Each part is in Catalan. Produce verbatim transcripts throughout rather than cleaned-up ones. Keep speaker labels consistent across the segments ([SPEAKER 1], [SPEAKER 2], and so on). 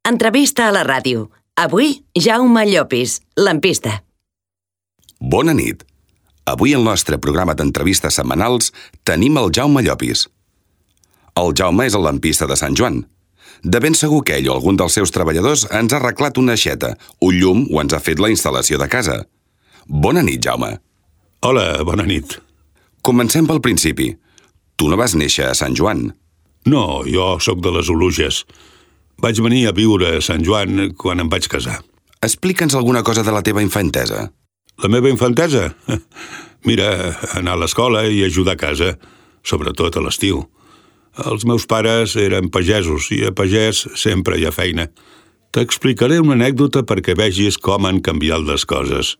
[SPEAKER 1] Entrevista a la ràdio. Avui, Jaume Llopis, lampista.
[SPEAKER 2] Bona nit. Avui al nostre programa d'entrevistes setmanals tenim el Jaume Llopis. El Jaume és el lampista de Sant Joan. De ben segur que ell o algun dels seus treballadors ens ha arreglat una aixeta, un llum o ens ha fet la instal·lació de casa. Bona nit, Jaume.
[SPEAKER 3] Hola, bona nit.
[SPEAKER 2] Comencem pel principi. Tu no vas néixer a Sant Joan.
[SPEAKER 3] No, jo sóc de les Oluges. Vaig venir a viure a Sant Joan quan em vaig casar.
[SPEAKER 2] Explica'ns alguna cosa de la teva infantesa.
[SPEAKER 3] La meva infantesa? Mira, anar a l'escola i ajudar a casa, sobretot a l'estiu. Els meus pares eren pagesos i a pagès sempre hi ha feina. T'explicaré una anècdota perquè vegis com han canviat les coses.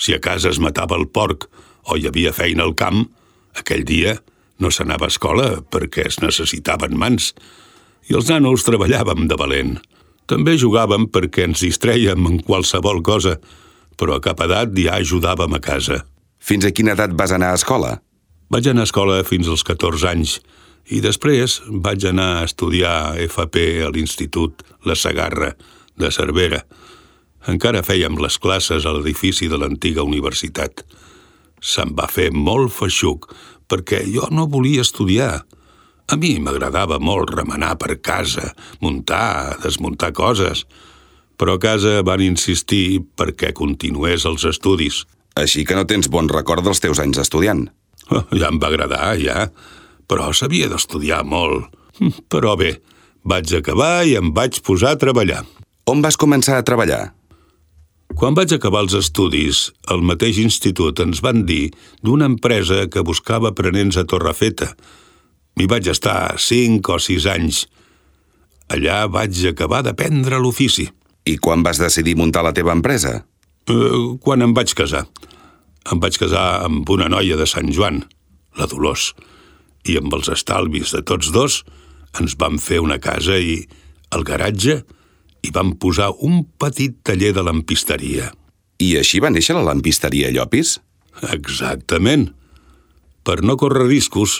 [SPEAKER 3] Si a casa es matava el porc o hi havia feina al camp, aquell dia no s'anava a escola perquè es necessitaven mans i els nanos treballàvem de valent. També jugàvem perquè ens distrèiem en qualsevol cosa, però a cap edat ja ajudàvem a casa.
[SPEAKER 2] Fins a quina edat vas anar a escola?
[SPEAKER 3] Vaig anar a escola fins als catorze anys i després vaig anar a estudiar F P a l'Institut La Segarra de Cervera. Encara fèiem les classes a l'edifici de l'antiga universitat. Se'm va fer molt feixuc perquè jo no volia estudiar. A mi m'agradava molt remenar per casa, muntar, desmuntar coses, però a casa van insistir perquè continués els estudis.
[SPEAKER 2] Així que no tens bon record dels teus anys estudiant.
[SPEAKER 3] Oh, ja em va agradar, ja, però s'havia d'estudiar molt. Però bé, vaig acabar i em vaig posar a treballar.
[SPEAKER 2] On vas començar a treballar?
[SPEAKER 3] Quan vaig acabar els estudis, al mateix institut ens van dir d'una empresa que buscava aprenents a Torrefeta. M'hi vaig estar cinc o sis anys. Allà vaig acabar d'aprendre l'ofici.
[SPEAKER 2] I quan vas decidir muntar la teva empresa?
[SPEAKER 3] Uh, quan em vaig casar. Em vaig casar amb una noia de Sant Joan, la Dolors, i amb els estalvis de tots dos ens vam fer una casa i al garatge hi vam posar un petit taller de lampisteria.
[SPEAKER 2] I així va néixer la lampisteria Llopis?
[SPEAKER 3] Exactament. Per no córrer riscos,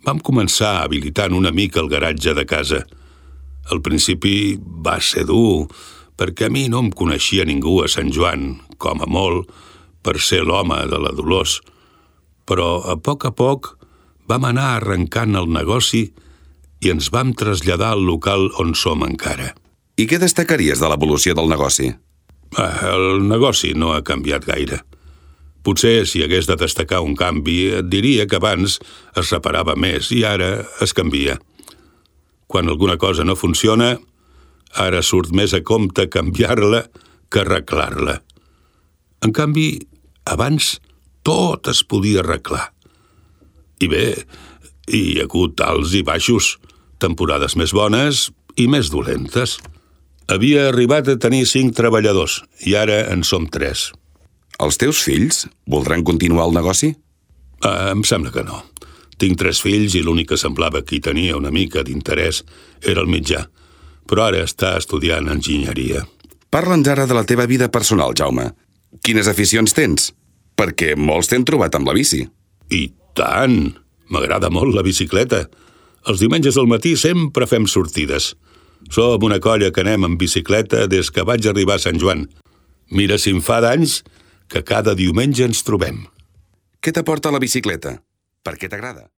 [SPEAKER 3] vam començar habilitant una mica el garatge de casa. Al principi va ser dur, perquè a mi no em coneixia ningú a Sant Joan, com a molt, per ser l'home de la Dolors. Però a poc a poc vam anar arrencant el negoci i ens vam traslladar al local on som encara.
[SPEAKER 2] I què destacaries de l'evolució del negoci?
[SPEAKER 3] Ah, el negoci no ha canviat gaire. Potser, si hagués de destacar un canvi, et diria que abans es reparava més i ara es canvia. Quan alguna cosa no funciona, ara surt més a compte canviar-la que arreglar-la. En canvi, abans tot es podia arreglar. I bé, hi ha hagut alts i baixos, temporades més bones i més dolentes. Havia arribat a tenir cinc treballadors i ara en som tres.
[SPEAKER 2] Els teus fills voldran continuar el negoci?
[SPEAKER 3] Ah, em sembla que no. Tinc tres fills i l'únic que semblava que hi tenia una mica d'interès era el mitjà, però ara està estudiant enginyeria.
[SPEAKER 2] Parla'ns ara de la teva vida personal, Jaume. Quines aficions tens? Perquè molts t'han trobat amb la bici.
[SPEAKER 3] I tant! M'agrada molt la bicicleta. Els diumenges al matí sempre fem sortides. Som una colla que anem amb bicicleta des que vaig arribar a Sant Joan. Mira si em fa d'anys que cada diumenge ens trobem.
[SPEAKER 2] Què t'aporta la bicicleta? Per què t'agrada?